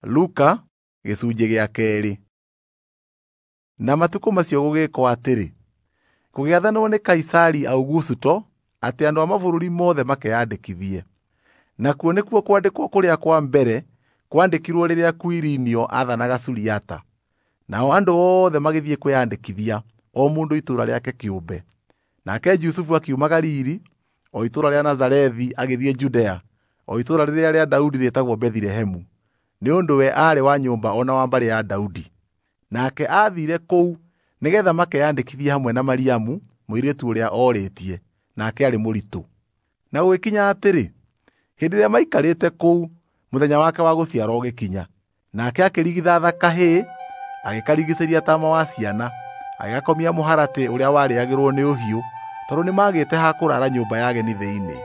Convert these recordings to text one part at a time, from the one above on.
Luka gĩcunjĩ gĩa kerĩ. Na matukũ macio gũgĩkwo atĩrĩ, gũgĩathanwo nĩ Kaisari Augusto atĩ andũ a mabũrũri mothe makeyandĩkithie. Nakuo nĩkuo kwandĩkwo kũrĩa kwa mbere kwandĩkirwo rĩrĩa Kuirinio aathanaga Suriata. Nao andũ othe magĩthiĩ kwĩyandĩkithia, o mũndũ itũũra rĩake kĩũmbe. Nake Jusufu akiuma Galili, o itũũra rĩa Nazarethi agĩthiĩ Judea, o itũũra rĩrĩa rĩa Daudi rĩĩtagwo Bethilehemu, nĩ ũndũ we aarĩ wa nyũmba o na wa mbarĩ ya Daudi. Nake aathiire kũu nĩgeetha makeyandĩkithie hamwe na Mariamu, mũirĩtu ũrĩa orĩtie, nake aarĩ mũritũ. Na gũgĩkinya atĩrĩ, hĩndĩ ĩrĩa maikarĩte kũu, mũthenya wake wa gũciarwo ũgĩkinya. Nake akĩrigithatha kahĩĩ, agĩkarigicĩria taama wa ciana, agĩgakomia mũharatĩ ũrĩa warĩagĩrwo nĩ ũhiũ, tondũ nĩmagĩte ha kũraara nyũmba ya ageni thĩinĩ.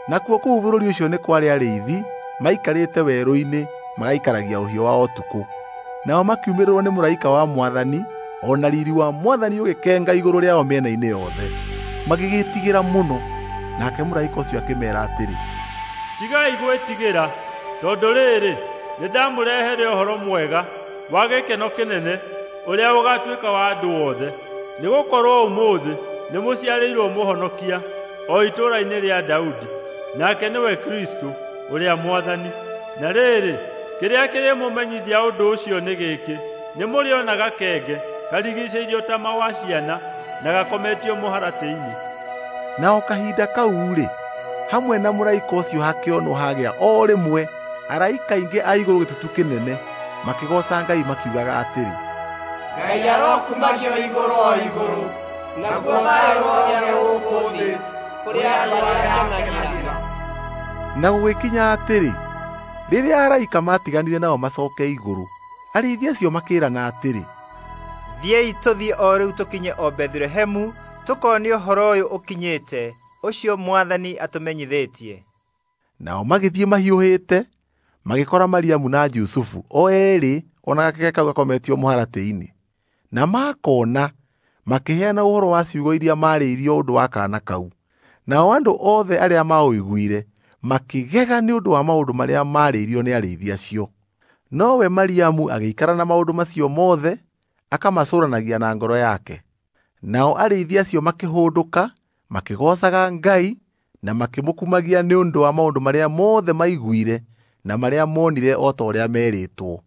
Nakuo kũu bũrũri ũcio nĩ kwarĩ arĩithi maikarĩte werũ-inĩ magaikaragia ũhiũ wao ũtukũ. Nao makiumĩrĩrwo nĩ mũraika wa Mwathani, o na riiri wa Mwathani ũgĩkenga igũrũ rĩao mĩena-inĩ yothe. Magĩgĩĩtigĩra mũno. Nake mũraika ũcio akĩmeera atĩrĩ, "Tigai gwĩtigĩra, tondũ rĩrĩ, nĩndamũrehere ũhoro mwega wa gĩkeno kĩnene ũrĩa ũgaatuĩka wa andũ othe. Nĩgũkorwo ũmũthĩ nĩmũciarĩirwo Mũhonokia o itũũra-inĩ rĩa Daudi, nake nĩwe Kristũ ũrĩa Mwathani. Na rĩrĩ, kĩrĩa kĩrĩmũmenyithia ũndũ ũcio nĩ gĩkĩ: nĩmũrĩona gakenge karigicĩirio taama wa ciana na gakometio mũharatĩ-inĩ." Na o kahinda kau-rĩ, hamwe na mũraika ũcio hakĩonwo hagĩa o rĩmwe araika aingĩ a igũrũ gĩtutu kĩnene, makĩgooca Ngai makiugaga atĩrĩ, "Ngai arokumagio igũrũ o igũrũ, naguo thayũ ũrogĩa gũkũ thĩ kũrĩ andũ arĩa akenagĩra." Na gũgĩkinya atĩrĩ, rĩrĩa araika maatiganire nao macooke igũrũ, arĩithi acio makĩĩrana atĩrĩ, "Thiĩi tũthiĩ o rĩu tũkinye o Bethilehemu tũkone ũhoro ũyũ ũkinyĩte, ũcio Mwathani atũmenyithĩtie." Nao magĩthiĩ mahiũhĩte, magĩkora Mariamu na Jusufu o eerĩ o na gakenge kau gakometio mũharatĩ-inĩ. Na makona, makĩheana ũhoro wa ciugo iria maarĩirio ũndũ wa kaana kau. Nao andũ othe arĩa maũiguire makĩgega nĩ ũndũ wa maũndũ marĩa maarĩirio nĩ arĩithi acio. Nowe Mariamu agĩikara na maũndũ macio mothe, akamacũranagia na ngoro yake. Nao arĩithi acio makĩhũndũka, makĩgoocaga Ngai na makĩmũkumagia nĩ ũndũ wa maũndũ marĩa mothe maiguire na marĩa monire o ta ũrĩa meerĩtwo.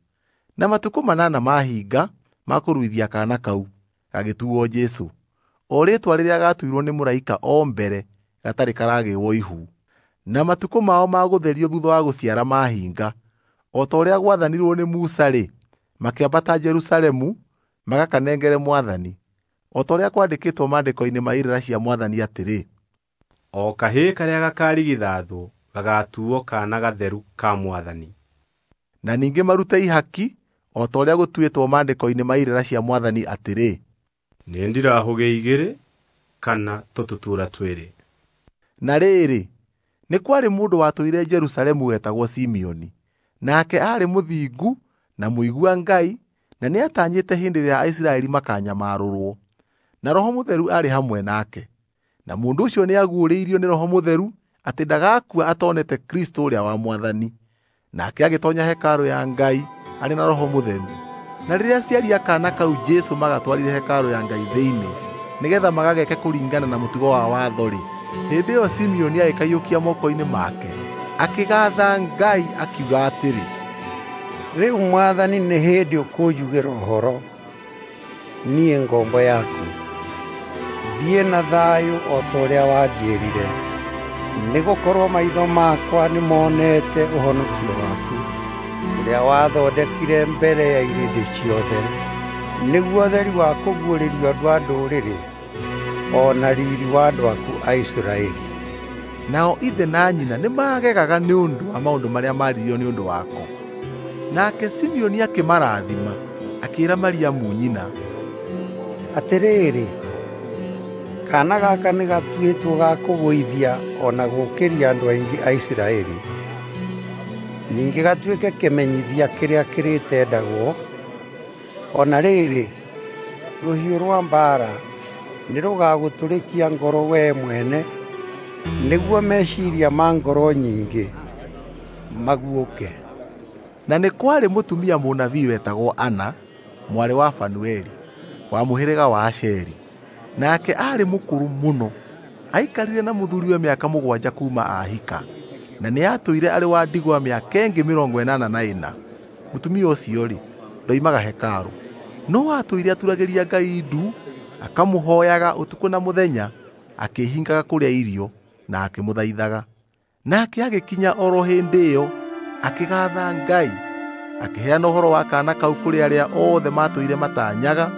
Na matukũ 8 mahinga ma kũruithia kaana kau, gagĩtuuo Jesũ, o rĩĩtwa rĩrĩa gaatuirwo nĩ mũraika o mbere gatarĩ karagĩĩrwo ihu. Na matukũ mao ma gũtherio thuutha wa gũciara mahinga, o ta ũrĩa gwathanirwo nĩ Musa-rĩ, makĩambata Jerusalemu magakanengere Mwathani, o ta ũrĩa kwandĩkĩtwo maandĩko-inĩ ma irĩra cia Mwathani atĩrĩ, "O kahĩĩ karĩa gakarigithathwo gagaatuuo kaana gatheru ka Mwathani." Na ningĩ marute ihaki o ta ũrĩa gũtuĩtwo maandĩko-inĩ ma irĩra cia Mwathani atĩrĩ, "Nĩ ndirahũgĩ igĩrĩ kana tũtutuura twĩrĩ." Na rĩrĩ, nĩ kwarĩ mũndũ watũire Jerusalemu wetagwo Simeoni. Nake aarĩ mũthingu na mũigua Ngai, na nĩatanyĩte hĩndĩ ĩrĩa Aisiraeli makanyamarũrwo. Na Roho Mũtheru aarĩ hamwe nake. Na mũndũ ũcio nĩaguũrĩirio nĩ Roho Mũtheru atĩ ndagakua atonete Kristũ ũrĩa wa Mwathani. Nake agĩtoonya hekarũ ya Ngai arĩ na Roho Mũtheru. Na rĩrĩa aciari a kaana kau Jesũ magatwarire hekarũ ya Ngai thĩinĩ, nĩgeetha magageke kũringana na mũtugo wa watho-rĩ, hĩndĩ ĩyo Simeoni agĩkaiyũkia moko-inĩ make, akĩgaatha Ngai akiuga atĩrĩ, "Rĩu Mwathani nĩ hĩndĩ ũkũnjugĩra ũhoro, niĩ ngombo yaku. Thiĩ na thayũ o ta ũrĩa wanjĩrire, nĩgũkorwo maitho makwa nĩmonete ũhonokio waku, ũrĩa wathondekire mbere ya irĩndĩ ciothe, nĩguo ũtheri wa kũguũrĩrio andũ a ndũrĩrĩ, o na riiri wa andũ aku a Isiraeli." Nao ithe na nyina nĩmagegaga nĩ ũndũ wa maũndũ marĩa maaririo nĩ ũndũ wako. Nake Simeoni akĩmarathima, akĩĩra Mariamu nyina, "Atĩrĩrĩ, kaana gaka nĩgatuĩtwo ga kũgũithia o na gũũkĩria andũ aingĩ a Isiraeli, ningĩ gatuĩke kĩmenyithia kĩrĩa kĩrĩtendagwo. O na rĩrĩ, rũhiũ rwa mbaara nĩrũgagũtũrĩkia ngoro wee mwene, nĩguo meciiria ma ngoro nyingĩ maguũke." Na nĩ kwarĩ mũtumia mũnabii wetagwo Ana, mwarĩ wa Fanueli, wa mũhĩrĩga wa Asheri. Nake aarĩ mũkũrũ mũno, aikarire na mũthuriwe mĩaka 7 kuuma ahika, na nĩatũire arĩ wa ndigwa mĩaka ĩngĩ 84. Mũtumia ũcio-rĩ, ndoimaga hekarũ, no atũire aturagĩria Ngai ndu, akamũhooyaga ũtukũ na mũthenya, akĩĩhingaga kũrĩa irio na akĩmũthaithaga. Nake agĩkinya oro hĩndĩ ĩyo, akĩgaatha Ngai, akĩheana ũhoro wa kaana kau kũrĩ arĩa othe maatũire matanyaga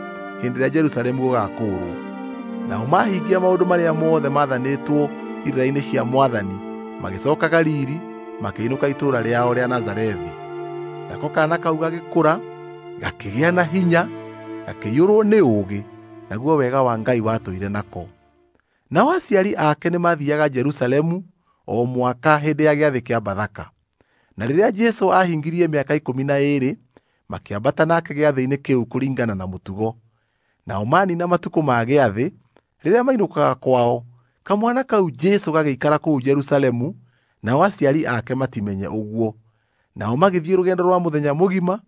hĩndĩ ĩrĩa Jerusalemu gũgaakũũrwo. Nao mahingia maũndũ marĩa mothe maathanĩtwo irĩra-inĩ cia Mwathani, magĩcooka Galili, makĩinũka itũũra rĩao rĩa Nazarethi. Nako kaana kau gagĩkũra, gakĩgĩa na hinya, gakĩiyũrwo nĩ ũũgĩ, naguo wega wa Ngai watũire nako. Nao aciari ake nĩmathiiaga Jerusalemu o mwaka hĩndĩ ya gĩathĩ kĩa Bathaka. Na rĩrĩa Jesũ aahingirie mĩaka 12, makĩambata nake gĩathĩ-inĩ kĩu kũringana na mũtugo. Nao manina matukũ ma gĩathĩ, rĩrĩa mainũkaga kwao, kamwana kau Jesũ gagĩikara kũu Jerusalemu, nao aciari ake matimenye ũguo. Nao magĩthiĩ rũgendo rwa mũthenya mũgima,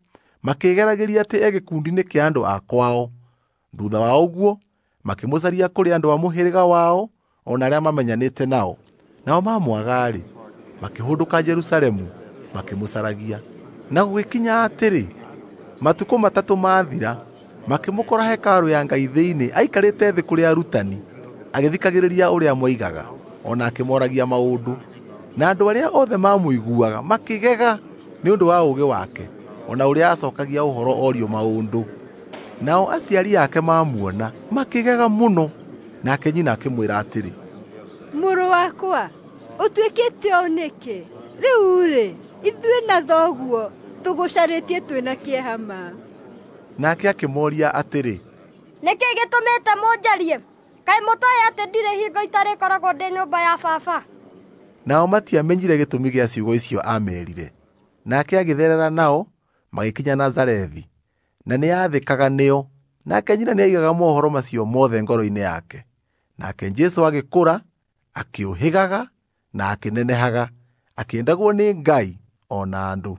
makĩĩgeragĩria atĩ e gĩkundi-inĩ kĩa andũ a kwao. Thuutha wa ũguo, makĩmũcaria kũrĩ andũ a mũhĩrĩga wao o na arĩa mamenyanĩte nao. Nao mamwaga-rĩ, makĩhũndũka Jerusalemu, makĩmũcaragia. Na gũgĩkinya atĩrĩ, matukũ 3 maathira, makĩmũkora hekarũ ya Ngai thĩinĩ aikarĩte thĩ kũrĩ arutani, agĩthikagĩrĩria ũrĩa moigaga, o na akĩmooragia maũndũ. Na andũ arĩa othe maamũiguaga makĩgega nĩ ũndũ wa ũũgĩ wake, o na ũrĩa acookagia ũhoro orio maũndũ. Nao aciari ake mamuona makĩgega mũno. Nake nyina akĩmwĩra atĩrĩ, Mũrũ wakwa, ũtuĩkĩte ũũ nĩkĩ? Rĩu-rĩ, ithuĩ na thoguo tũgũcarĩtie twĩna kĩeha ma. Nake akĩmooria atĩrĩ, Nĩkĩ gĩtũmĩte mũnjarie? Kaĩ mũtooĩ atĩ ndirĩ hingo itarĩkoragwo ndĩ nyũmba ya baba? Nao matiamenyire gĩtũmi gĩa ciugo icio aameerire. Nake agĩtherera nao, magĩkinya Nazarethi, na nĩathĩkaga nĩo. Nake nyina nĩaigaga mohoro macio mothe ngoro-inĩ yake. Nake Jesũ agĩkũra, akĩũhĩgaga na akĩnenehaga, akĩendagwo nĩ Ngai o na andũ.